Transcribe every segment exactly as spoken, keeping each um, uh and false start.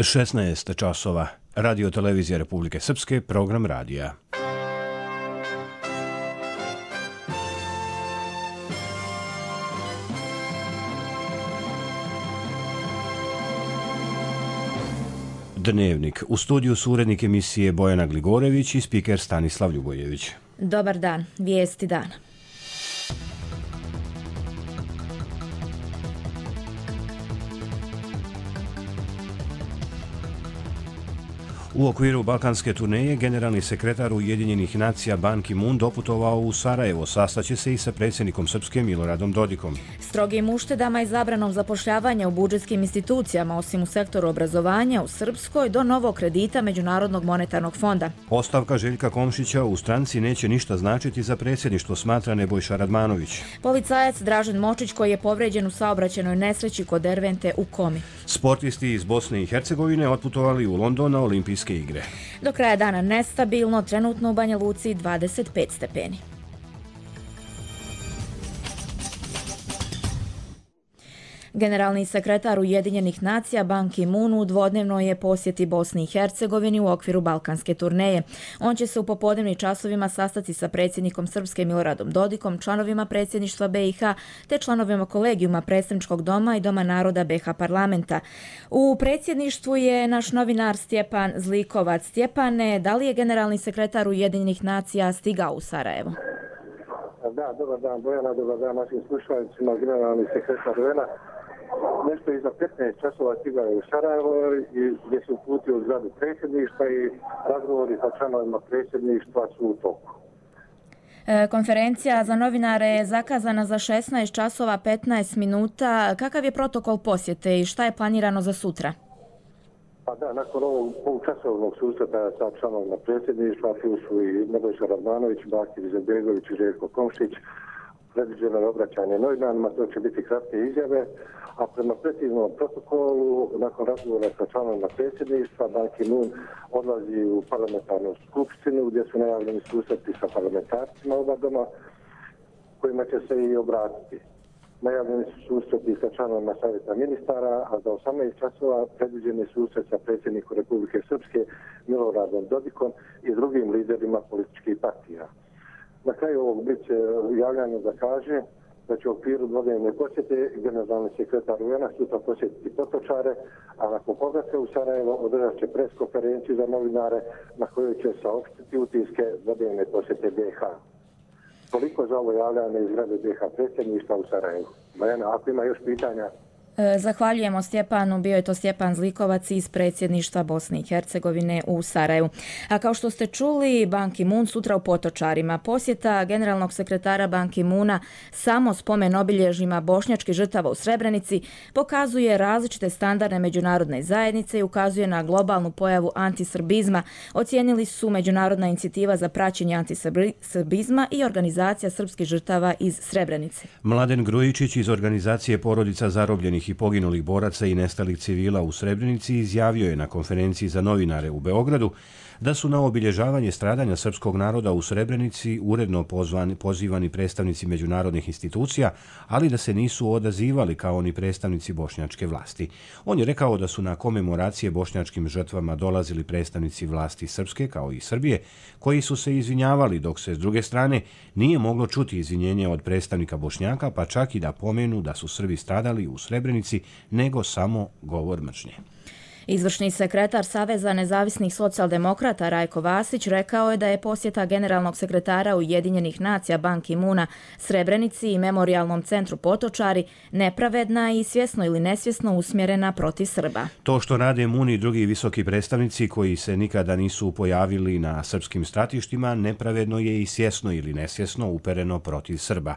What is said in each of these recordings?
šesnaest časova. Radio televizija Republike Srpske, program radija. Dnevnik. U studiju su urednik emisije Bojana Gligorević i spiker Stanislav Ljubojević. Dobar dan. Vijesti dana. U okviru balkanske turneje generalni sekretar Ujedinjenih nacija Ban Ki-moon doputovao u Sarajevo, sastaće se i sa predsjednikom Srpske Miloradom Dodikom. Strogim uštedama i zabranom zapošljavanja u budžetskim institucijama, osim u sektoru obrazovanja u Srpskoj, do novog kredita Međunarodnog monetarnog fonda. Ostavka Željka Komšića u stranci neće ništa značiti za predsjedništvo, smatra Nebojša Radmanović. Policajac Dražen Močić, koji je povređen u saobraćajnoj nesreći kod Dervente u komi. Sportisti iz Bosne i Hercegovine otputovali u London na olimpijske igre. Do kraja dana nestabilno, trenutno u Banja Luci dvadeset pet stepeni. Generalni sekretar Ujedinjenih nacija Ban Ki-moon u dvodnevnoj je posjeti Bosni i Hercegovini u okviru balkanske turneje. On će se u popodnevnim časovima sastati sa predsjednikom Srpske Miloradom Dodikom, članovima predsjedništva B i H te članovima kolegijuma Predstavničkog doma i Doma naroda B i H parlamenta. U predsjedništvu je naš novinar Stjepan Zlikovac. Stjepane, da li je generalni sekretar Ujedinjenih nacija stigao u Sarajevo? Da, dobar dan Bojana, dobar dan našim slušalicima, generalni sekretar U N-a. Nešto iza petnaest časova stigao je u Sarajevo i gdje se uputio u zgradu predsjedništva i razgovori sa članovima predsjedništva su u toku. E, konferencija za novinare je zakazana za šesnaest časova petnaest minuta. Kakav je protokol posjete i šta je planirano za sutra? Pa da, nakon ovog polučasovnog susreta sa članovima predsjedništva, tu su i Nebojša Radmanović, Bakir Izetbegović i Željko Komšić, predviđeno je obraćanje novinarima, to će biti kratke izjave, a prema preciznom protokolu, nakon razgovora sa članovima predsjedništva, Ban Ki-moon odlazi u parlamentarnu skupštinu gdje su najavljeni susreti sa parlamentarcima oba doma, kojima će se i obratiti. Najavljeni su susreti sa članovima savjeta ministara, a za osamnaest časova predviđeni susret sa predsjednikom Republike Srpske Miloradom Dodikom i drugim liderima političkih partija. Na kraju ovog bit će javljanje da kaže da će u okviru dvodnevne posjete generalni sekretar U N-a sutra posjetiti Potočare, a nakon povratka u Sarajevo održat će pres konferenciju za novinare na kojoj će saopštiti utiske dvodnevne posjete B i H. Toliko za ovo javljanje iz zgrade B i H predsjedništva u Sarajevu. Bojana, ako ima još pitanja... Zahvaljujemo Stjepanu, bio je to Stjepan Zlikovac iz predsjedništva Bosne i Hercegovine u Sarajevu. A kao što ste čuli, Ban Ki-moon sutra u Potočarima. Posjeta generalnog sekretara Ban Ki-moona samo spomen obilježjima bošnjačkih žrtava u Srebrenici pokazuje različite standarde međunarodne zajednice i ukazuje na globalnu pojavu antisrbizma, ocijenili su Međunarodna inicijativa za praćenje antisrbizma i Organizacija srpskih žrtava iz Srebrenice. Mladen Grujičić iz organizacije Porodica zarobljenih i poginulih boraca i nestalih civila u Srebrenici izjavio je na konferenciji za novinare u Beogradu da su na obilježavanje stradanja srpskog naroda u Srebrenici uredno pozvani, pozivani predstavnici međunarodnih institucija, ali da se nisu odazivali kao ni predstavnici bošnjačke vlasti. On je rekao da su na komemoracije bošnjačkim žrtvama dolazili predstavnici vlasti Srpske kao i Srbije, koji su se izvinjavali, dok se s druge strane nije moglo čuti izvinjenje od predstavnika Bošnjaka, pa čak i da pomenu da su Srbi stradali u Srebrenici, nego samo govor mržnje. Izvršni sekretar Saveza nezavisnih socijaldemokrata Rajko Vasić rekao je da je posjeta generalnog sekretara Ujedinjenih nacija Ban Ki-moona Srebrenici i memorijalnom centru Potočari nepravedna i svjesno ili nesvjesno usmjerena protiv Srba. To što rade Moon i drugi visoki predstavnici koji se nikada nisu pojavili na srpskim stratištima nepravedno je i svjesno ili nesvjesno upereno protiv Srba.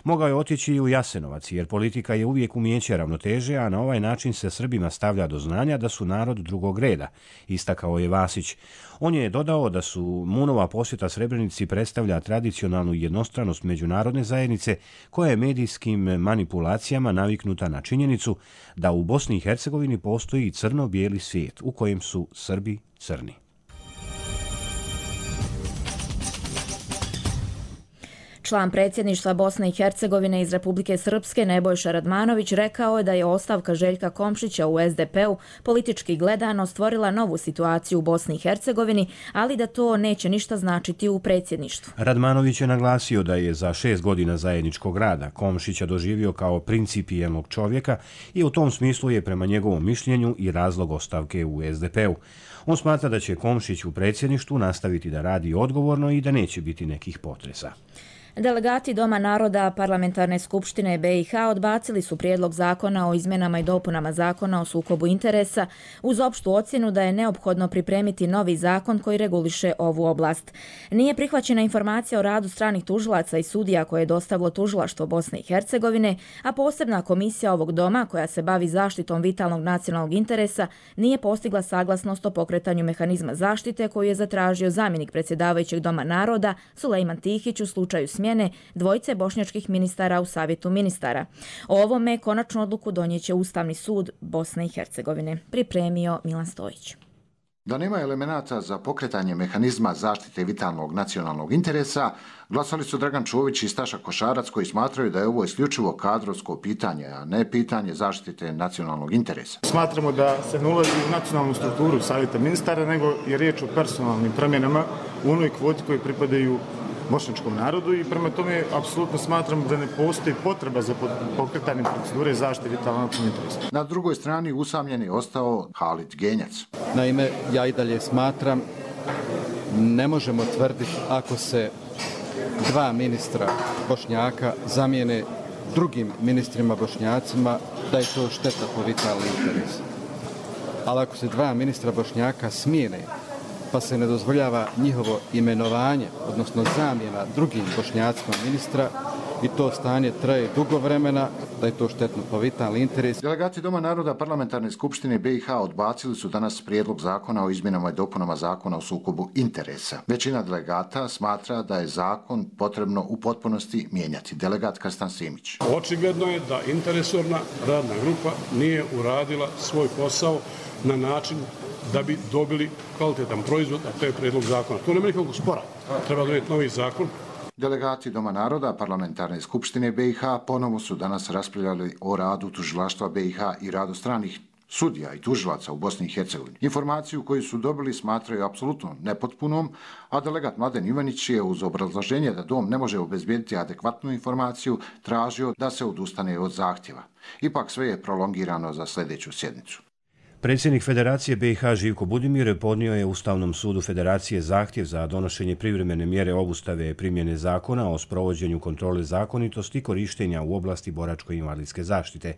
Mogao je otići i u Jasenovac, jer politika je uvijek umijeće ravnoteže, a na ovaj način se Srbima stavlja do znanja da su narod drugog reda, istakao je Vasić. On je dodao da su Moonova posjeta Srebrenici predstavlja tradicionalnu jednostranost međunarodne zajednice koja je medijskim manipulacijama naviknuta na činjenicu da u Bosni i Hercegovini postoji crno-bijeli svijet u kojem su Srbi crni. Član predsjedništva Bosne i Hercegovine iz Republike Srpske Nebojša Radmanović rekao je da je ostavka Željka Komšića u es de pe-u politički gledano stvorila novu situaciju u Bosni i Hercegovini, ali da to neće ništa značiti u predsjedništvu. Radmanović je naglasio da je za šest godina zajedničkog rada Komšića doživio kao principijelnog čovjeka i u tom smislu je prema njegovom mišljenju i razlog ostavke u es de pe-u. On smatra da će Komšić u predsjedništvu nastaviti da radi odgovorno i da neće biti nekih potresa. Delegati Doma naroda Parlamentarne skupštine be i ha odbacili su prijedlog zakona o izmjenama i dopunama zakona o sukobu interesa uz opštu ocjenu da je neophodno pripremiti novi zakon koji reguliše ovu oblast. Nije prihvaćena informacija o radu stranih tužilaca i sudija koje je dostavilo tužilaštvo Bosne i Hercegovine, a posebna komisija ovog doma koja se bavi zaštitom vitalnog nacionalnog interesa nije postigla saglasnost o pokretanju mehanizma zaštite koju je zatražio zamjenik predsjedavajućeg Doma naroda Sulejman Tihić u slučaju smjene dvojice bošnjačkih ministara u Savjetu ministara. O ovome konačnu odluku donijeće Ustavni sud Bosne i Hercegovine. Pripremio Milan Stojić. Da nema elemenata za pokretanje mehanizma zaštite vitalnog nacionalnog interesa, glasali su Dragan Čović i Staša Košarac koji smatraju da je ovo isključivo kadrovsko pitanje, a ne pitanje zaštite nacionalnog interesa. Smatramo da se ne ulazi u nacionalnu strukturu Savjeta ministara, nego je riječ o personalnim promjenama u onoj kvoti koji pripadaju bošnjačkom narodu i prema tome apsolutno smatram da ne postoji potreba za pokretanje procedure zaštite vitalnog nacionalnog interesa. Na drugoj strani usamljen je ostao Halid Genjac. Naime, ja i dalje smatram, ne možemo tvrditi ako se dva ministra Bošnjaka zamijene drugim ministrima Bošnjacima da je to šteta po vitalni interes. Ali ako se dva ministra Bošnjaka smijene pa se ne dozvoljava njihovo imenovanje, odnosno zamjena drugim Bošnjacima ministra i to stanje traje dugo vremena, da je to štetno po vitalni interes. Delegati Doma naroda Parlamentarne skupštine be i ha odbacili su danas prijedlog zakona o izmjenama i dopunama zakona o sukobu interesa. Većina delegata smatra da je zakon potrebno u potpunosti mijenjati. Delegat Krstan Simić. Očigledno je da interesorna radna grupa nije uradila svoj posao na način da bi dobili kvalitetan proizvod, a to je prijedlog zakona. To nema nikakvog spora. Treba donijeti novi zakon. Delegati Doma naroda Parlamentarne skupštine be i ha ponovo su danas raspravljali o radu tužilaštva be i ha i radu stranih sudija i tužilaca u Bosni i Hercegovini. Informaciju koju su dobili smatraju apsolutno nepotpunom, a delegat Mladen Ivanić je uz obrazloženje da dom ne može obezbijediti adekvatnu informaciju tražio da se odustane od zahtjeva. Ipak sve je prolongirano za sljedeću sjednicu. Predsjednik Federacije be i ha Živko Budimir podnio je Ustavnom sudu Federacije zahtjev za donošenje privremene mjere obustave primjene zakona o sprovođenju kontrole zakonitosti korištenja u oblasti boračko-invalidske zaštite.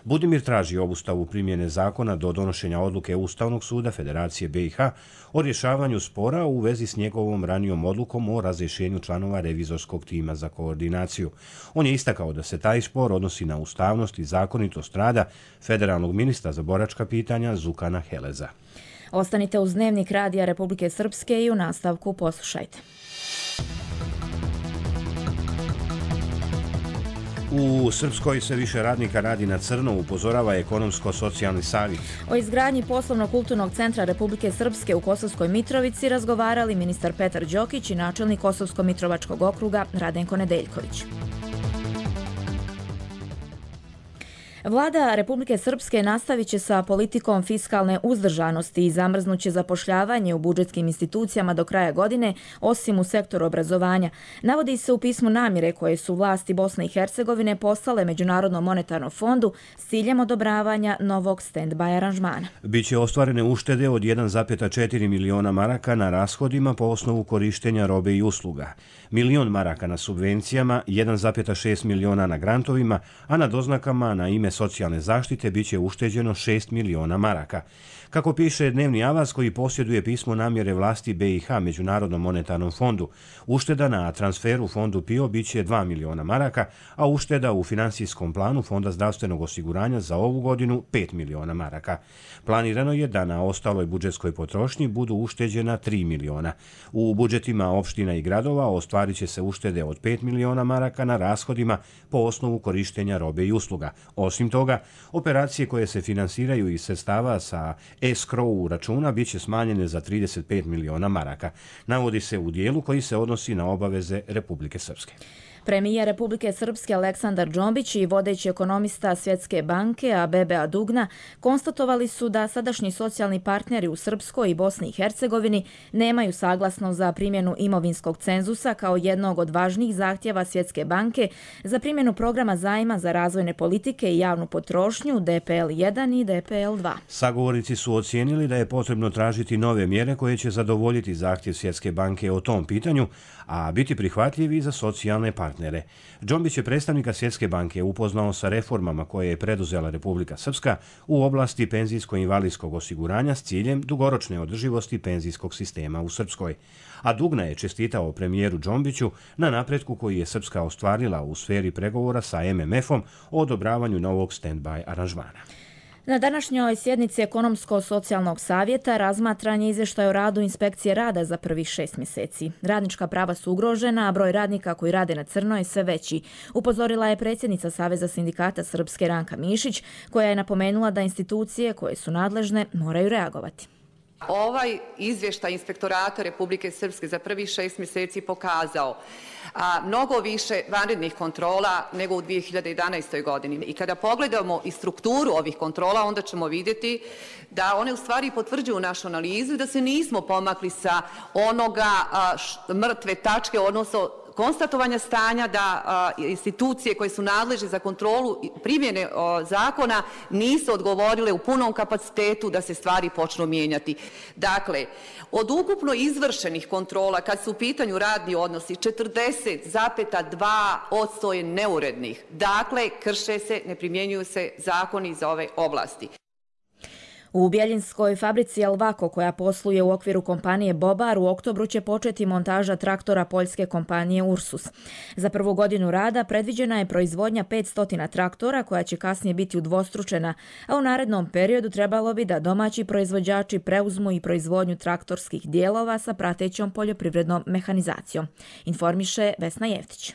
Budimir traži obustavu primjene zakona do donošenja odluke Ustavnog suda Federacije be i ha o rješavanju spora u vezi s njegovom ranijom odlukom o razrješenju članova revizorskog tima za koordinaciju. On je istakao da se taj spor odnosi na ustavnost i zakonitost rada federalnog ministra za boračka pitanja Zukana Heleza. Ostanite uz Dnevnik Radija Republike Srpske i u nastavku poslušajte. U Srpskoj se više radnika radi na crno, upozorava ekonomsko-socijalni savjet. O izgradnji poslovno-kulturnog centra Republike Srpske u Kosovskoj Mitrovici razgovarali ministar Petar Đokić i načelnik Kosovsko-Mitrovačkog okruga Radenko Nedeljković. Vlada Republike Srpske nastavit će sa politikom fiskalne uzdržanosti i zamrznuće zapošljavanje u budžetskim institucijama do kraja godine, osim u sektoru obrazovanja. Navodi se u pismu namjere koje su vlasti Bosne i Hercegovine poslale Međunarodnom monetarnom fondu s ciljem odobravanja novog stand-by aranžmana. Biće ostvarene uštede od jedan zarez četiri miliona maraka na rashodima po osnovu korištenja robe i usluga, milion maraka na subvencijama, jedan zarez šest miliona na grantovima, a na doznakama na ime socijalne zaštite biće ušteđeno šest miliona maraka. Kako piše Dnevni avaz koji posjeduje pismo namjere vlasti be i ha Međunarodnom monetarnom fondu, ušteda na transferu fondu PIO biće dva miliona maraka, a ušteda u finansijskom planu Fonda zdravstvenog osiguranja za ovu godinu pet miliona maraka. Planirano je da na ostaloj budžetskoj potrošnji budu ušteđena tri miliona. U budžetima opština i gradova ostvarit će se uštede od pet miliona maraka na rashodima po osnovu korištenja robe i usluga. Osim toga, operacije koje se finansiraju iz sredstava sa escrow računa bit će smanjene za trideset pet miliona maraka. Navodi se u dijelu koji se odnosi na obaveze Republike Srpske. Premijer Republike Srpske Aleksandar Džombić i vodeći ekonomista Svjetske banke Abebe Dugna konstatovali su da sadašnji socijalni partneri u Srpskoj i Bosni i Hercegovini nemaju saglasnost za primjenu imovinskog cenzusa kao jednog od važnijih zahtjeva Svjetske banke za primjenu programa zajma za razvojne politike i javnu potrošnju D P L jedan i D P L dva. Sagovornici su ocijenili da je potrebno tražiti nove mjere koje će zadovoljiti zahtjev Svjetske banke o tom pitanju, a biti prihvatljivi za socijalne partnere. Džombić je predstavnika Svjetske banke upoznao sa reformama koje je preduzela Republika Srpska u oblasti penzijsko-invalidskog osiguranja s ciljem dugoročne održivosti penzijskog sistema u Srpskoj. A Dugna je čestitao premijeru Džombiću na napretku koji je Srpska ostvarila u sferi pregovora sa M M F-om o odobravanju novog stand-by aranžmana. Na današnjoj sjednici Ekonomsko-socijalnog savjeta razmatran je izvještaj o radu inspekcije rada za prvih šest mjeseci. Radnička prava su ugrožena, a broj radnika koji rade na crno je sve veći. Upozorila je predsjednica Saveza sindikata Srpske Ranka Mišić, koja je napomenula da institucije koje su nadležne moraju reagovati. Ovaj izvještaj Inspektorata Republike Srpske za prvih šest mjeseci pokazao a, mnogo više vanrednih kontrola nego u dvije hiljade jedanaestoj godini. I kada pogledamo i strukturu ovih kontrola, onda ćemo vidjeti da one u stvari potvrđuju našu analizu i da se nismo pomakli sa onoga a, š, mrtve tačke, odnosno konstatovanja stanja da a, institucije koje su nadležne za kontrolu primjene a, zakona nisu odgovorile u punom kapacitetu da se stvari počnu mijenjati. Dakle, od ukupno izvršenih kontrola, kad su u pitanju radni odnosi, četrdeset zarez dva posto je neurednih. Dakle, krše se, ne primjenjuju se zakoni iz ove oblasti. U Bjeljinskoj fabrici Elvako, koja posluje u okviru kompanije Bobar, u oktobru će početi montaža traktora poljske kompanije Ursus. Za prvu godinu rada predviđena je proizvodnja petsto traktora, koja će kasnije biti udvostručena, a u narednom periodu trebalo bi da domaći proizvođači preuzmu i proizvodnju traktorskih dijelova sa pratećom poljoprivrednom mehanizacijom. Informiše Vesna Jeftić.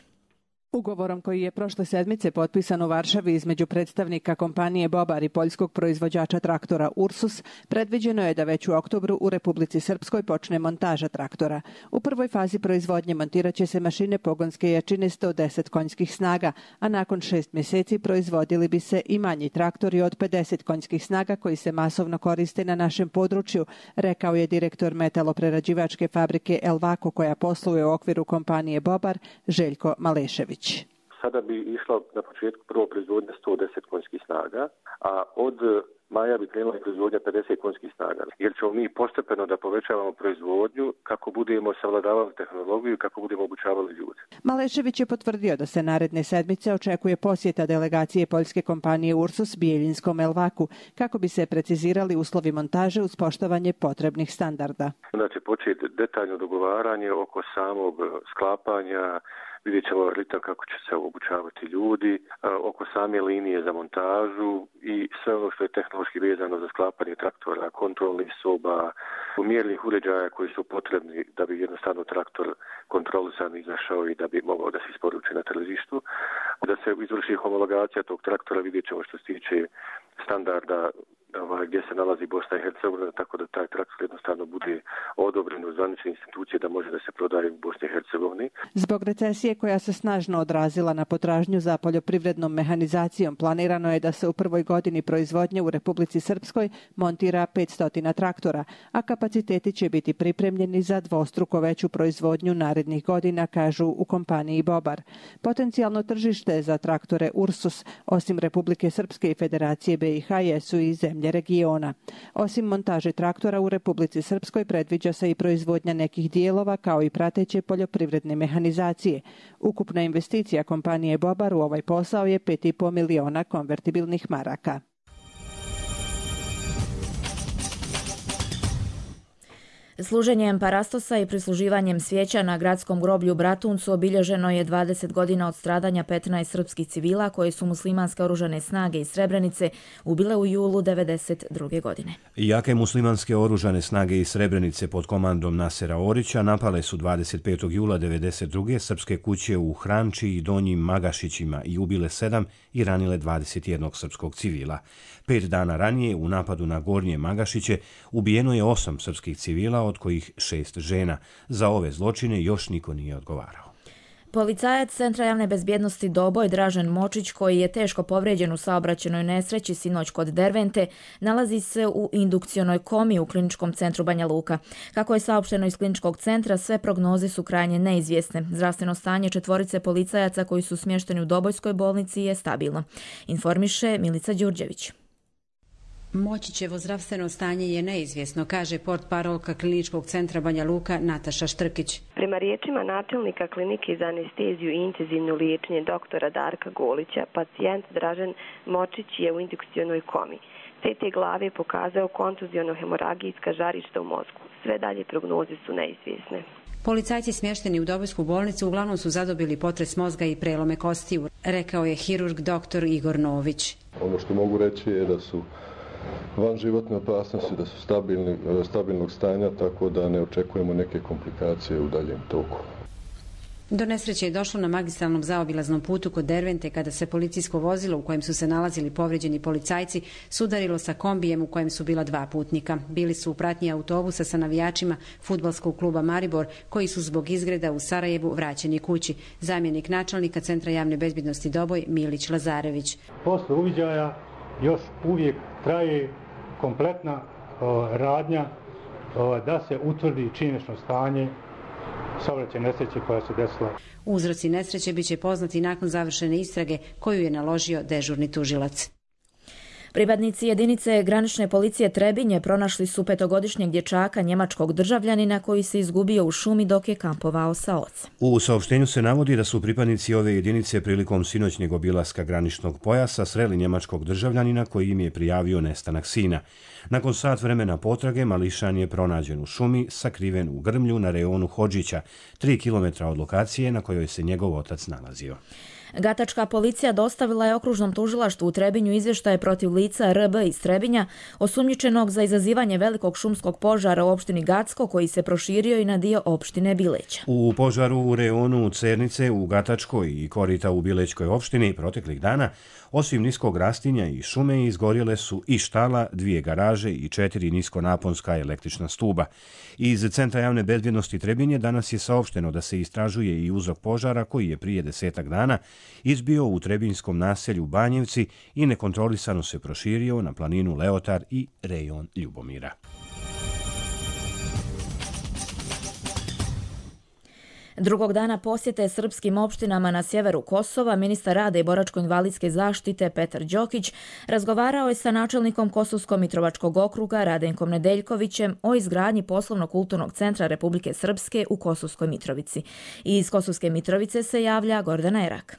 Ugovorom koji je prošle sedmice potpisan u Varšavi između predstavnika kompanije Bobar i poljskog proizvođača traktora Ursus, predviđeno je da već u oktobru u Republici Srpskoj počne montaža traktora. U prvoj fazi proizvodnje montiraće se mašine pogonske jačine sto deset konjskih snaga, a nakon šest mjeseci proizvodili bi se i manji traktori od pedeset konjskih snaga koji se masovno koriste na našem području, rekao je direktor metaloprerađivačke fabrike Elvako, koja posluje u okviru kompanije Bobar, Željko Malešević. Sada bi išla na početku prvo proizvodnja sto deset konjskih snaga, a od maja bi krenula proizvodnja pedeset konjskih snaga. Jer ćemo mi postepeno da povećavamo proizvodnju kako budemo savladavali tehnologiju i kako budemo obučavali ljude. Malešević je potvrdio da se naredne sedmice očekuje posjeta delegacije poljske kompanije Ursus Bijeljinskom Elvaku kako bi se precizirali uslovi montaže uz poštovanje potrebnih standarda. Onda će početi detaljno dogovaranje oko samog sklapanja. Vidjet ćemo ritam kako će se obučavati ljudi, oko same linije za montažu i sve ono što je tehnološki vezano za sklapanje traktora, kontrolnih soba, mjernih uređaja koji su potrebni da bi jednostavno traktor kontrolisan izašao i da bi mogao da se isporuči na tržištu. Da se izvrši homologacija tog traktora, vidjet ćemo što se tiče standarda ovaj, gdje se nalazi Bosna i Hercegovina, tako da taj traktor jednostavno bude odobren u zvanične institucije da može da se prodaje u Bosni i Hercegovini. Zbog recesije koja se snažno odrazila na potražnju za poljoprivrednom mehanizacijom, planirano je da se u prvoj godini proizvodnje u Republici Srpskoj montira petsto traktora, a kapaciteti će biti pripremljeni za dvostruko veću proizvodnju narednih godina, kažu u kompaniji Bobar. Potencijalno tržište za traktore Ursus, osim Republike Srpske i Federacije B i H, jesu i zemlje regiona. Osim montaže traktora u Republici Srpskoj predviđa se i proizvodnja nekih dijelova kao i prateće poljoprivredne mehanizacije. Ukupna investicija kompanije Bobar u ovaj posao je pet i po miliona konvertibilnih maraka. Služenjem parastosa i prisluživanjem svijeća na gradskom groblju Bratuncu obilježeno je dvadeset godina od stradanja petnaest srpskih civila koje su muslimanske oružane snage iz Srebrenice ubile u julu devedeset druge. godine. Jake muslimanske oružane snage iz Srebrenice pod komandom Nasera Orića napale su dvadeset petog jula devedeset druge srpske kuće u Hranči i Donjim Magašićima i ubile sedam i ranile dvadeset jednog srpskog civila. Pet dana ranije u napadu na Gornje Magašiće ubijeno je osam srpskih civila, od kojih šest žena. Za ove zločine još niko nije odgovarao. Policajac Centra javne bezbjednosti Doboj Dražen Močić, koji je teško povrijeđen u saobraćajnoj nesreći sinoć kod Dervente, nalazi se u indukcionoj komi u kliničkom centru Banja Luka. Kako je saopšteno iz kliničkog centra, sve prognoze su krajnje neizvjesne. Zdravstveno stanje četvorice policajaca koji su smješteni u Dobojskoj bolnici je stabilno, informiše Milica Đurđević. Močićevo zdravstveno stanje je neizvjesno, kaže portparolka kliničkog centra Banja Luka Nataša Štrkić. Prema riječima načelnika klinike za anesteziju i intenzivno liječenje doktora Darka Golića, pacijent Dražen Močić je u indukcionoj komi. C T glave je pokazao kontuziono-hemoragijska žarišta u mozgu. Sve dalje prognoze su neizvjesne. Policajci smješteni u Dobojsku bolnicu uglavnom su zadobili potres mozga i prelome kostiju, rekao je hirurg doktor Igor Nović. Ono što mogu reći je da su van životne opasnosti, da su stabilni, stabilnog stanja, tako da ne očekujemo neke komplikacije u daljem toku. Do nesreće je došlo na magistralnom zaobilaznom putu kod Dervente kada se policijsko vozilo u kojem su se nalazili povrijeđeni policajci sudarilo sa kombijem u kojem su bila dva putnika. Bili su u pratnji autobusa sa navijačima fudbalskog kluba Maribor koji su zbog izgreda u Sarajevu vraćeni kući. Zamjenik načelnika Centra javne bezbjednosti Doboj Milić Lazarević. Posle uviđaja još uvijek traje kompletna o, radnja o, da se utvrdi činjenično stanje saobraćajne nesreće koja se desila. Uzroci nesreće biće poznati nakon završene istrage koju je naložio dežurni tužilac. Pripadnici jedinice granične policije Trebinje pronašli su petogodišnjeg dječaka njemačkog državljanina koji se izgubio u šumi dok je kampovao sa ocem. U saopštenju se navodi da su pripadnici ove jedinice prilikom sinoćnjeg obilaska graničnog pojasa sreli njemačkog državljanina koji im je prijavio nestanak sina. Nakon sat vremena potrage mališan je pronađen u šumi, sakriven u grmlju na reonu Hodžića, tri kilometra od lokacije na kojoj se njegov otac nalazio. Gatačka policija dostavila je okružnom tužilaštvu u Trebinju izvještaje protiv lica R B iz Trebinja, osumnjičenog za izazivanje velikog šumskog požara u opštini Gacko koji se proširio i na dio opštine Bileća. U požaru u reonu Cernice u Gatačkoj i korita u Bilećkoj opštini proteklih dana, osim niskog rastinja i šume, izgorjele su i štala, dvije garaže i četiri niskonaponska električna stuba. Iz Centra javne bezbjednosti Trebinje danas je saopšteno da se istražuje i uzrok požara koji je prije desetak dana izbio u trebinjskom naselju Banjevci i nekontrolisano se proširio na planinu Leotar i rejon Ljubomira. Drugog dana posjete srpskim opštinama na sjeveru Kosova, ministar rada i boračko-invalidske zaštite Petar Đokić razgovarao je sa načelnikom Kosovsko-Mitrovačkog okruga Radenkom Nedeljkovićem o izgradnji poslovno-kulturnog centra Republike Srpske u Kosovskoj Mitrovici. Iz Kosovske Mitrovice se javlja Gordana Erak.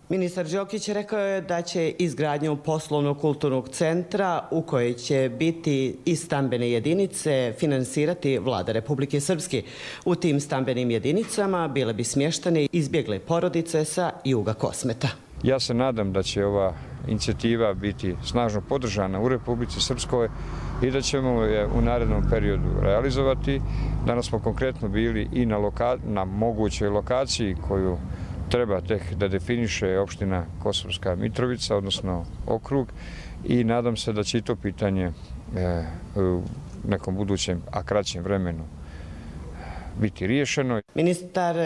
Ministar Đokić rekao je da će izgradnju poslovno-kulturnog centra u kojoj će biti i stambene jedinice finansirati vlada Republike Srpske. U tim stambenim jedinicama bile bi smještene izbjegle porodice sa juga Kosmeta. Ja se nadam da će ova inicijativa biti snažno podržana u Republici Srpskoj i da ćemo je u narednom periodu realizovati. Danas smo konkretno bili i na, loka- na mogućoj lokaciji koju treba tek da definiše opština Kosovska Mitrovica, odnosno okrug, i nadam se da će i to pitanje e, u nekom budućem, a kraćem vremenu biti riješeno. Ministar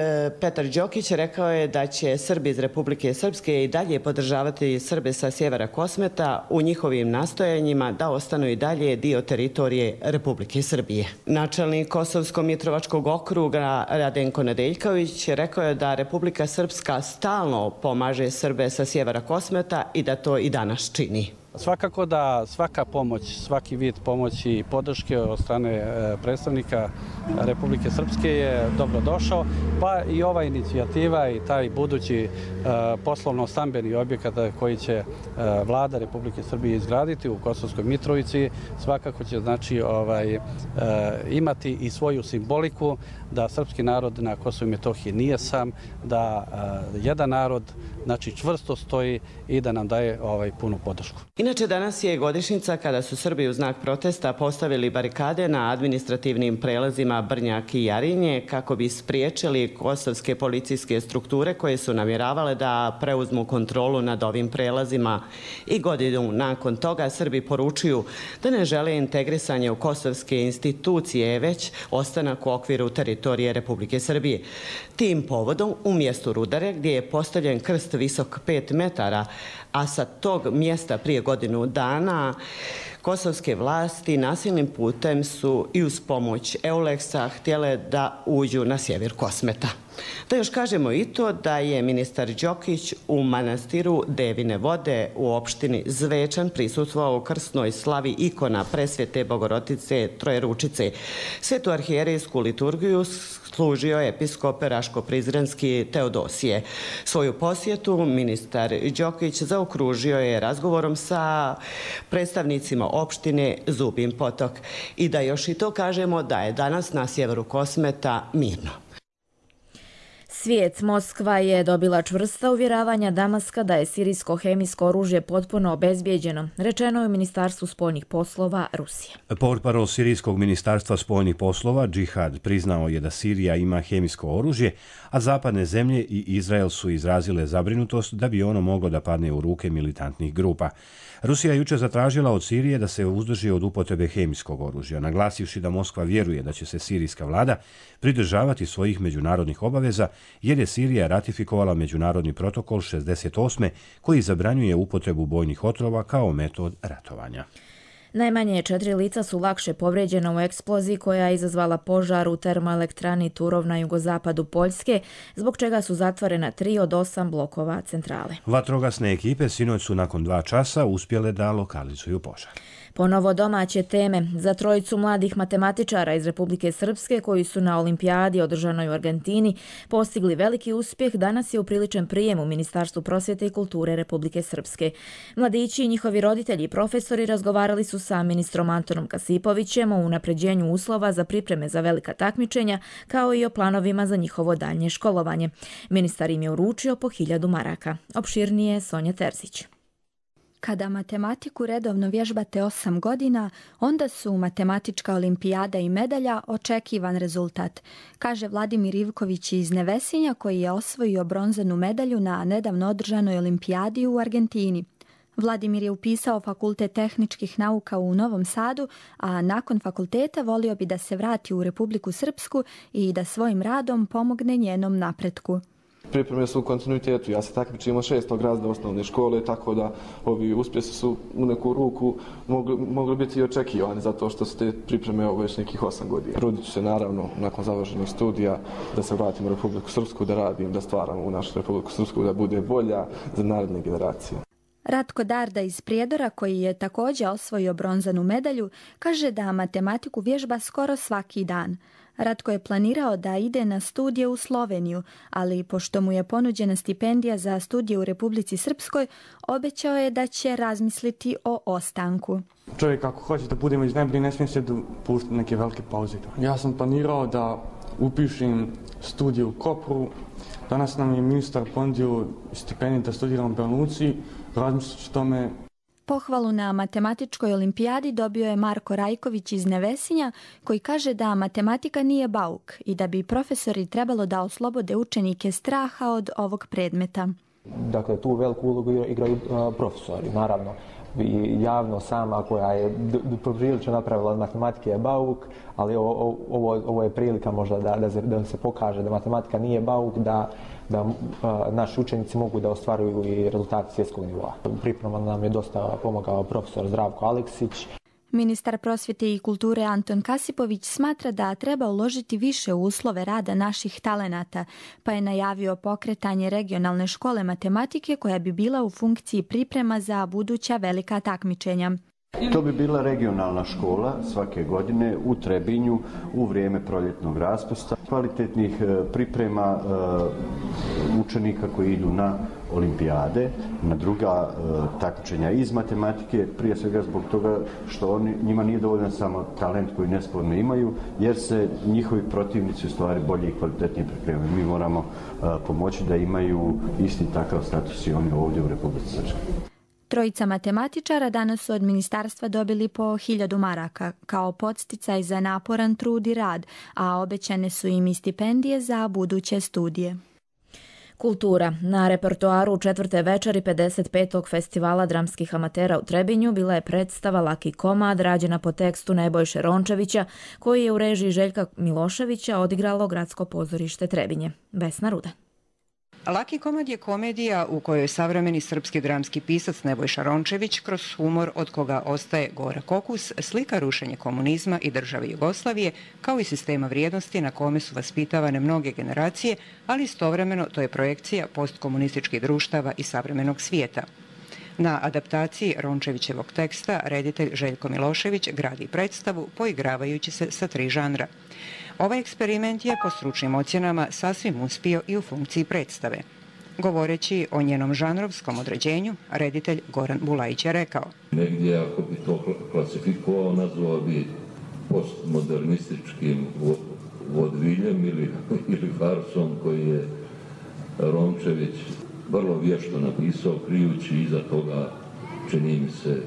Petar Đokić rekao je da će Srbi iz Republike Srpske i dalje podržavati Srbe sa sjevera Kosmeta u njihovim nastojanjima da ostanu i dalje dio teritorije Republike Srbije. Načelnik Kosovsko-Mitrovačkog okruga Radenko Nedeljković rekao je da Republika Srpska stalno pomaže Srbe sa sjevera Kosmeta i da to i danas čini. Svakako da svaka pomoć, svaki vid pomoći i podrške od strane predstavnika Republike Srpske je dobro došao, pa i ova inicijativa i taj budući poslovno-stambeni objekat koji će vlada Republike Srbije izgraditi u Kosovskoj Mitrovici svakako će znači ovaj, imati i svoju simboliku da srpski narod na Kosovu i Metohiji nije sam, da jedan narod znači čvrsto stoji i da nam daje ovaj punu podršku. Inače, danas je godišnjica kada su Srbi u znak protesta postavili barikade na administrativnim prelazima Brnjak i Jarinje kako bi spriječili kosovske policijske strukture koje su namjeravale da preuzmu kontrolu nad ovim prelazima. I godinu nakon toga Srbi poručuju da ne žele integrisanje u kosovske institucije, već ostanak u okviru teritorije Republike Srbije. Tim povodom u mjestu Rudare, gdje je postavljen krst visok pet metara, a sa tog mjesta prije godinu dana kosovske vlasti nasilnim putem su i uz pomoć Euleksa htjele da uđu na sjever Kosmeta. Da još kažemo i to da je ministar Đokić u manastiru Devine vode u opštini Zvečan prisustvovao krsnoj slavi ikona Presvete Bogorodice Trojeručice. Svetu arhijerejsku liturgiju služio episkop Raško-Prizrenski Teodosije. Svoju posjetu ministar Đokić zaokružio je razgovorom sa predstavnicima opštine Zubin Potok. I da još i to kažemo da je danas na sjeveru Kosmeta mirno. Svijet, Moskva je dobila čvrsta uvjeravanja Damaska da je sirijsko hemijsko oružje potpuno obezbijeđeno, rečeno je u Ministarstvu spoljnih poslova Rusije. Portparol Sirijskog ministarstva spoljnih poslova Džihad priznao je da Sirija ima hemijsko oružje, a zapadne zemlje i Izrael su izrazile zabrinutost da bi ono moglo da padne u ruke militantnih grupa. Rusija je jučer zatražila od Sirije da se uzdrži od upotrebe hemijskog oružja, naglasivši da Moskva vjeruje da će se sirijska vlada pridržavati svojih međunarodnih obaveza, jer je Sirija ratifikovala međunarodni protokol šezdeset osme koji zabranjuje upotrebu bojnih otrova kao metod ratovanja. Najmanje četiri lica su lakše povrijeđena u eksploziji koja je izazvala požar u termoelektrani Turov na jugozapadu Poljske, zbog čega su zatvorena tri od osam blokova centrale. Vatrogasne ekipe sinoć su nakon dva časa uspjele da lokalizuju požar. Ponovo domaće teme. Za trojicu mladih matematičara iz Republike Srpske koji su na olimpijadi održanoj u Argentini postigli veliki uspjeh, danas je upriličen prijem u Ministarstvu prosvjete i kulture Republike Srpske. Mladići i njihovi roditelji i profesori razgovarali su sa ministrom Antonom Kasipovićem o unapređenju uslova za pripreme za velika takmičenja, kao i o planovima za njihovo daljnje školovanje. Ministar im je uručio po hiljadu maraka. Opširnije Sonja Terzić. Kada matematiku redovno vježbate osam godina, onda su matematička olimpijada i medalja očekivan rezultat, kaže Vladimir Ivković iz Nevesinja koji je osvojio bronzanu medalju na nedavno održanoj olimpijadi u Argentini. Vladimir je upisao Fakultet tehničkih nauka u Novom Sadu, a nakon fakulteta volio bi da se vrati u Republiku Srpsku i da svojim radom pomogne njenom napretku. Pripreme su u kontinuitetu. Ja se takmičim od šestog razreda osnovne škole, tako da ovi uspjesi su u neku ruku mogli, mogli biti i očekivani, zato što su te pripreme ovo već nekih osam godina. Trudit ću se naravno nakon završenih studija da se vratim u Republiku Srpsku, da radim, da stvaram u našu Republiku Srpsku, da bude bolja za naredne generacije. Ratko Darda iz Prijedora, koji je također osvojio bronzanu medalju, kaže da matematiku vježba skoro svaki dan. Ratko je planirao da ide na studije u Sloveniju, ali pošto mu je ponuđena stipendija za studije u Republici Srpskoj, obećao je da će razmisliti o ostanku. Čovjek ako hoće da bude među najbolji, ne smije se dopuštati neke velike pauze. Ja sam planirao da upišem studije u Kopru. Danas nam je ministar ponudio stipendiju da studiram u Banja Luci. Razmislit ću tome. Pohvalu na matematičkoj olimpijadi dobio je Marko Rajković iz Nevesinja, koji kaže da matematika nije bauk i da bi profesori trebalo da oslobode učenike straha od ovog predmeta. Dakle, tu veliku ulogu igraju profesori, naravno. I javno sama koja je poprilično napravila od matematike je bauk, ali ovo, ovo, ovo je prilika možda da, da, se, da se pokaže da matematika nije bauk, da, da a, naši učenici mogu da ostvaruju i rezultate svjetskog nivoa. U pripremama nam je dosta pomogao profesor Zdravko Aleksić. Ministar prosvjete i kulture Anton Kasipović smatra da treba uložiti više u uslove rada naših talenata, pa je najavio pokretanje regionalne škole matematike koja bi bila u funkciji priprema za buduća velika takmičenja. To bi bila regionalna škola svake godine u Trebinju u vrijeme proljetnog raspusta, kvalitetnih priprema učenika koji idu na olimpijade, na druga takmičenja iz matematike, prije svega zbog toga što oni, njima nije dovoljan samo talent koji nesporno imaju, jer se njihovi protivnici u stvari bolje i kvalitetnije pripremaju. Mi moramo pomoći da imaju isti takav status i oni ovdje u Republici Srpskoj. Trojica matematičara danas su od ministarstva dobili po hiljadu maraka kao podsticaj za naporan trud i rad, a obećane su im i stipendije za buduće studije. Kultura. Na repertoaru četvrte večeri pedeset petog festivala dramskih amatera u Trebinju bila je predstava Laki komad rađena po tekstu Nebojše Rončevića, koji je u režiji Željka Miloševića odigralo Gradsko pozorište Trebinje. Vesna Ruda. Laki komad je komedija u kojoj savremeni srpski dramski pisac Nebojša Rončević kroz humor od koga ostaje gorak okus slika rušenje komunizma i države Jugoslavije kao i sistema vrijednosti na kome su vaspitavane mnoge generacije, ali istovremeno to je projekcija postkomunističkih društava i savremenog svijeta. Na adaptaciji Rončevićevog teksta reditelj Željko Milošević gradi predstavu poigravajući se sa tri žanra. Ovaj eksperiment je po stručnim ocjenama sasvim uspio i u funkciji predstave. Govoreći o njenom žanrovskom određenju, reditelj Goran Bulajić je rekao: negdje, ako bi to klasifikovao, nazvao bi postmodernističkim vodviljem ili, ili farsom koji je Rončević vrlo vješto napisao, krijući iza toga, čini mi se,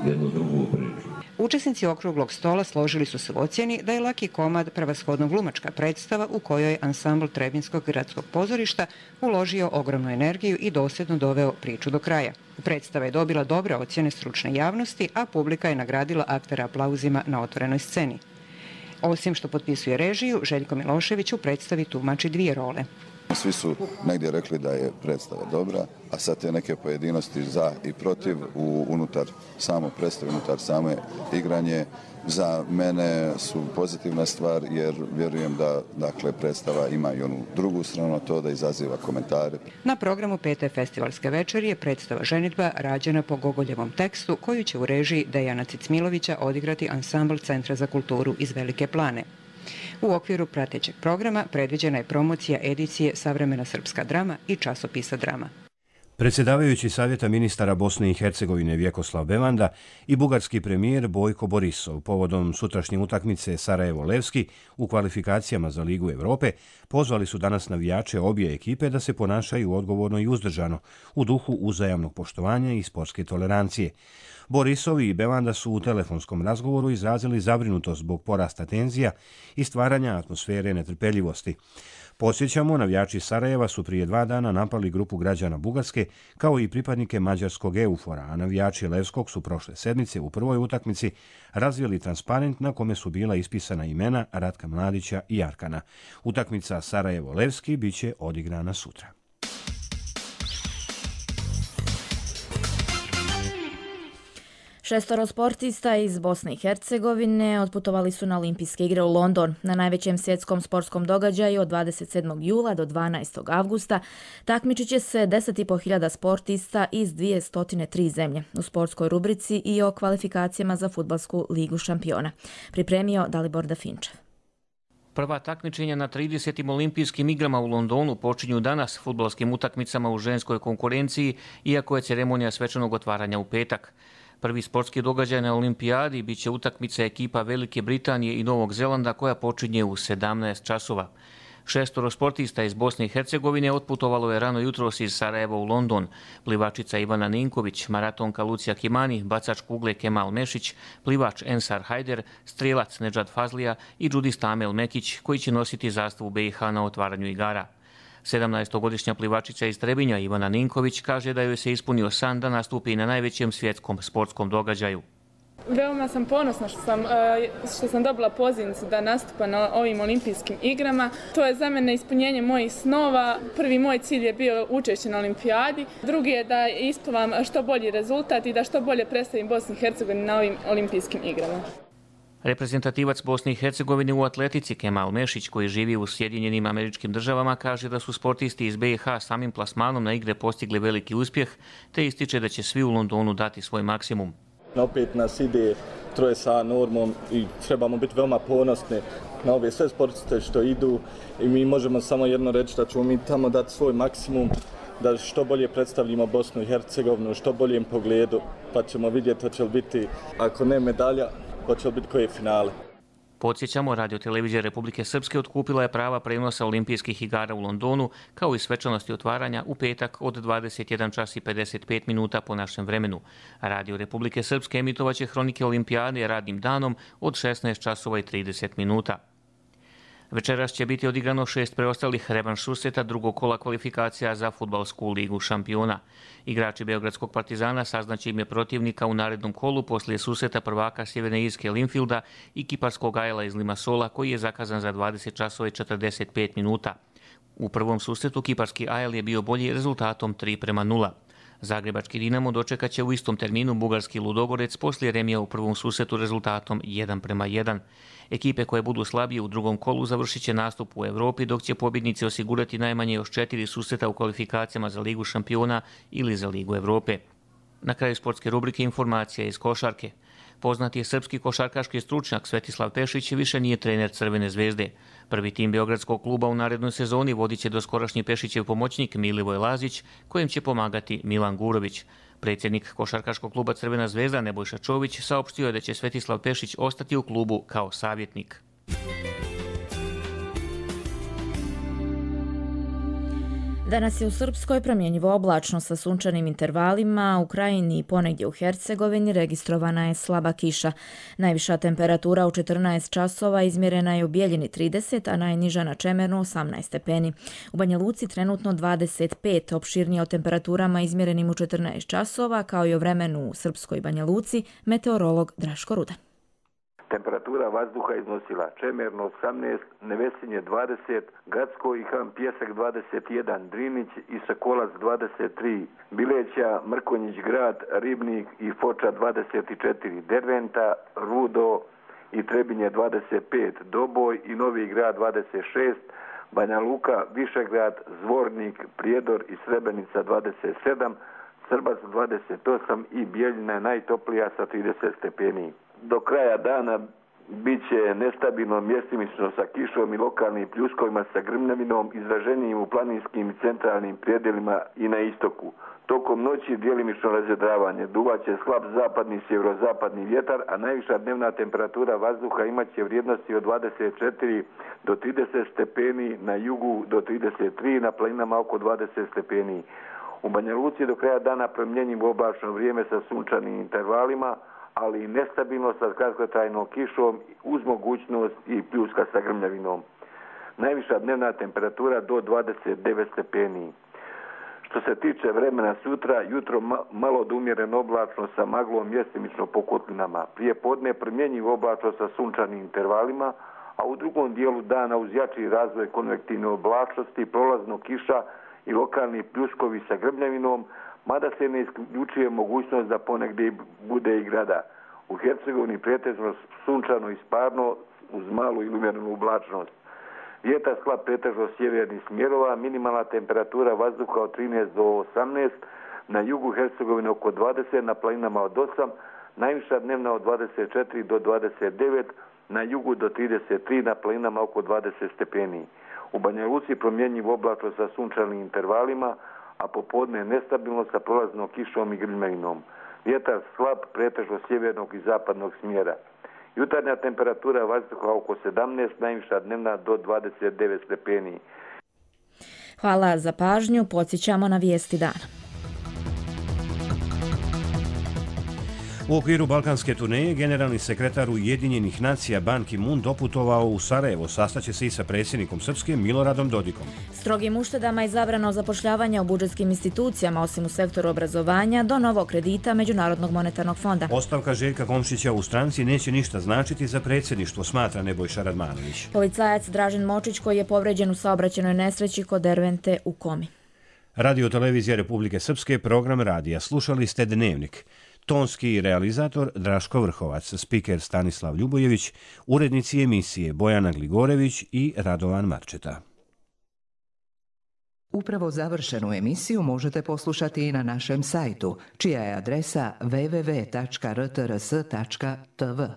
jednu drugu priču. Učesnici okruglog stola složili su se u ocjeni da je Laki komad prevashodno glumačka predstava u kojoj je ansambl Trebinskog gradskog pozorišta uložio ogromnu energiju i dosljedno doveo priču do kraja. Predstava je dobila dobre ocjene stručne javnosti, a publika je nagradila aktere aplauzima na otvorenoj sceni. Osim što potpisuje režiju, Željko Milošević u predstavi tumači dvije role. Svi su negdje rekli da je predstava dobra, a sad te neke pojedinosti za i protiv u, unutar samo predstave, unutar same igranje za mene su pozitivna stvar, jer vjerujem da dakle, predstava ima i onu drugu stranu, to da izaziva komentare. Na programu pete festivalske večeri je predstava Ženidba rađena po Gogoljevom tekstu, koju će u režiji Dejana Cicmilovića odigrati ansambl Centra za kulturu iz Velike Plane. U okviru pratećeg programa predviđena je promocija edicije Savremena srpska drama i časopisa Drama. Predsjedavajući Savjeta ministara Bosne i Hercegovine Vjekoslav Bevanda i bugarski premijer Bojko Borisov povodom sutrašnje utakmice Sarajevo-Levski u kvalifikacijama za Ligu Europe pozvali su danas navijače obje ekipe da se ponašaju odgovorno i uzdržano u duhu uzajamnog poštovanja i sportske tolerancije. Borisov i Bevanda su u telefonskom razgovoru izrazili zabrinutost zbog porasta tenzija i stvaranja atmosfere netrpeljivosti. Podsjećamo, navijači Sarajeva su prije dva dana napali grupu građana Bugarske kao i pripadnike mađarskog Eufora, a navijači Levskog su prošle sedmice u prvoj utakmici razvili transparent na kome su bila ispisana imena Ratka Mladića i Arkana. Utakmica Sarajevo-Levski bit će odigrana sutra. Šestoro sportista iz Bosne i Hercegovine otputovali su na olimpijske igre u London. Na najvećem svjetskom sportskom događaju od dvadeset sedmog jula do dvanaestog avgusta takmičit će se deset i po hiljada sportista iz dvjesto tri zemlje u sportskoj rubrici i o kvalifikacijama za fudbalsku ligu šampiona. Pripremio Dalibor Dafinčev. Prva takmičenja na tridesetim olimpijskim igrama u Londonu počinju danas fudbalskim utakmicama u ženskoj konkurenciji, iako je ceremonija svečanog otvaranja u petak. Prvi sportski događaj na olimpijadi bit će utakmica ekipa Velike Britanije i Novog Zelanda koja počinje u sedamnaest časova. Šestoro sportista iz Bosne i Hercegovine otputovalo je rano jutros iz Sarajeva u London. Plivačica Ivana Ninković, maratonka Lucija Kimani, bacač kugle Kemal Mešić, plivač Ensar Hajder, strijelac Nedžad Fazlija i džudista Amel Mekić koji će nositi zastavu B i H na otvaranju igara. sedamnaestogodišnja plivačica iz Trebinja Ivana Ninković kaže da joj se ispunio san da nastupi na najvećem svjetskom sportskom događaju. Veoma sam ponosna što sam, što sam dobila pozivnicu da nastupa na ovim olimpijskim igrama. To je za mene ispunjenje mojih snova. Prvi moj cilj je bio učešće na olimpijadi. Drugi je da isplivam što bolji rezultat i da što bolje predstavim Bosnu i Hercegovinu na ovim olimpijskim igrama. Reprezentativac Bosne i Hercegovine u atletici Kemal Mešić, koji živi u Sjedinjenim Američkim Državama, kaže da su sportisti iz B i H samim plasmanom na igre postigli veliki uspjeh, te ističe da će svi u Londonu dati svoj maksimum. Opet nas ide troje sa normom i trebamo biti veoma ponosni na ove sve sportiste što idu i mi možemo samo jedno reći da ćemo mi tamo dati svoj maksimum, da što bolje predstavljamo Bosnu i Hercegovinu u što boljem pogledu, pa ćemo vidjeti hoće li biti, ako ne medalja, hoće li biti koje finale. Podsjećamo, Radio-televizija Republike Srpske otkupila je prava prenosa olimpijskih igara u Londonu, kao i svečanosti otvaranja u petak od dvadeset jedan čas i pedeset pet minuta po našem vremenu. Radio Republike Srpske emitovaće hronike olimpijade radnim danom od šesnaest časova i trideset minuta. Večeras će biti odigrano šest preostalih revanš susreta drugog kola kvalifikacija za fudbalsku ligu šampiona. Igrači Beogradskog Partizana saznaće ime protivnika u narednom kolu poslije susreta prvaka Sjeverne Irske Linfielda i kiparskog Ajla iz Limassola, koji je zakazan za dvadeset časova i četrdeset pet minuta. U prvom susretu kiparski Ajl je bio bolji rezultatom tri prema nula. Zagrebački Dinamo dočekat će u istom terminu bugarski Ludogorec poslije remija u prvom susretu rezultatom jedan prema jedan. Ekipe koje budu slabije u drugom kolu završit će nastup u Evropi, dok će pobjednici osigurati najmanje još četiri susreta u kvalifikacijama za Ligu šampiona ili za Ligu Evrope. Na kraju sportske rubrike informacija iz košarke. Poznati je srpski košarkaški stručnjak Svetislav Pešić više nije trener Crvene zvezde. Prvi tim beogradskog kluba u narednoj sezoni vodit će doskorašnji Pešićev pomoćnik Milivoj Lazić, kojem će pomagati Milan Gurović. Predsjednik košarkaškog kluba Crvena zvezda Nebojša Čović saopštio je da će Svetislav Pešić ostati u klubu kao savjetnik. Danas je u Srpskoj promjenjivo oblačno sa sunčanim intervalima, u Krajini i ponegdje u Hercegovini registrovana je slaba kiša. Najviša temperatura u četrnaest časova izmjerena je u Bijeljini trideset, a najniža na Čemernu osamnaest stepeni. U Banja Luci trenutno dvadeset pet, opširnije o temperaturama izmjerenim u četrnaest časova, kao i o vremenu u Srpskoj Banja Luci, meteorolog Draško Rudan. Temperatura vazduha iznosila Čemerno osamnaest, Nevesinje dvadeset, Gacko i Ham Pjesak dvadeset jedan, Drinić i Sokolac dvadeset tri, Bileća, Mrkonjić Grad, Ribnik i Foča dvadeset četiri, Derventa, Rudo i Trebinje dvadeset pet, Doboj i Novi Grad dvadeset šest, Banja Luka, Višegrad, Zvornik, Prijedor i Srebrenica dvadeset sedam, Srbac dvadeset osam i Bijeljina je najtoplija sa trideset stepeni. Do kraja dana bit će nestabilno mjestimično sa kišom i lokalnim pljuskovima sa grmljavinom, izraženijim u planinskim i centralnim prijedelima i na istoku. Tokom noći djelimično razjedravanje, duvaće slab zapadni sjeverozapadni vjetar, a najviša dnevna temperatura vazduha imat će vrijednosti od dvadeset četiri do trideset stepeni, na jugu do trideset tri, na planinama oko dvadeset stepeni. U Banja Luci do kraja dana promjenjivo oblačno vrijeme sa sunčanim intervalima, ali i nestabilno sa kratkotrajnom kišom uz mogućnost i pljuska sa grmljavinom. Najviša dnevna temperatura do dvadeset devet stepeni. Što se tiče vremena sutra, jutro malo od umjereno oblačno sa maglom mjestimično po kotlinama. Prije podne promjenjivo oblačno sa sunčanim intervalima, a u drugom dijelu dana uz jači razvoj konvektivne oblačnosti, prolazno kiša i lokalni pljuskovi sa grmljavinom, mada se ne isključuje mogućnost da ponegdje bude i grada. U Hercegovini pretežno sunčano i sparno uz malu ili umjerenu oblačnost. Vjetar slab pretežno sjevernih smjerova, minimalna temperatura vazduha od trinaest do osamnaest, na jugu Hercegovine oko dvadeset, na planinama od osam, najviša dnevna od dvadeset četiri do dvadeset devet, na jugu do trideset tri, na planinama oko dvadeset stepeni. U Banja Luci promjenjiv oblačno sa sunčanim intervalima, a popodne nestabilno sa prolaznom kišom i grmljavinom. Vjetar slab, pretežno sjevernog i zapadnog smjera. Jutarnja temperatura vazduha oko sedamnaest, najviša dnevna do dvadeset devet stepeni. Hvala za pažnju, podsjećamo na vijesti dana. U okviru balkanske turneje generalni sekretar Ujedinjenih nacija Ban Ki-moon doputovao u Sarajevo, sastaće se i sa predsjednikom Srpske Miloradom Dodikom. Strogim uštedama i zabrano zapošljavanja u budžetskim institucijama, osim u sektoru obrazovanja, do novog kredita Međunarodnog monetarnog fonda. Ostavka Željka Komšića u stranci neće ništa značiti za predsjedništvo, smatra Nebojša Radmanović. Policajac Dražen Močić, koji je povređen u saobraćajnoj nesreći kod Dervente u Komi. Radio televizija Republike Srpske, program radija. Slušali ste Dnevnik. Tonski realizator Draško Vrhovac, spiker Stanislav Ljubojević, urednici emisije Bojana Gligorević i Radovan Marčeta. Upravo završenu emisiju možete poslušati i na našem sajtu, čija je adresa w w w tačka r t r s tačka t v.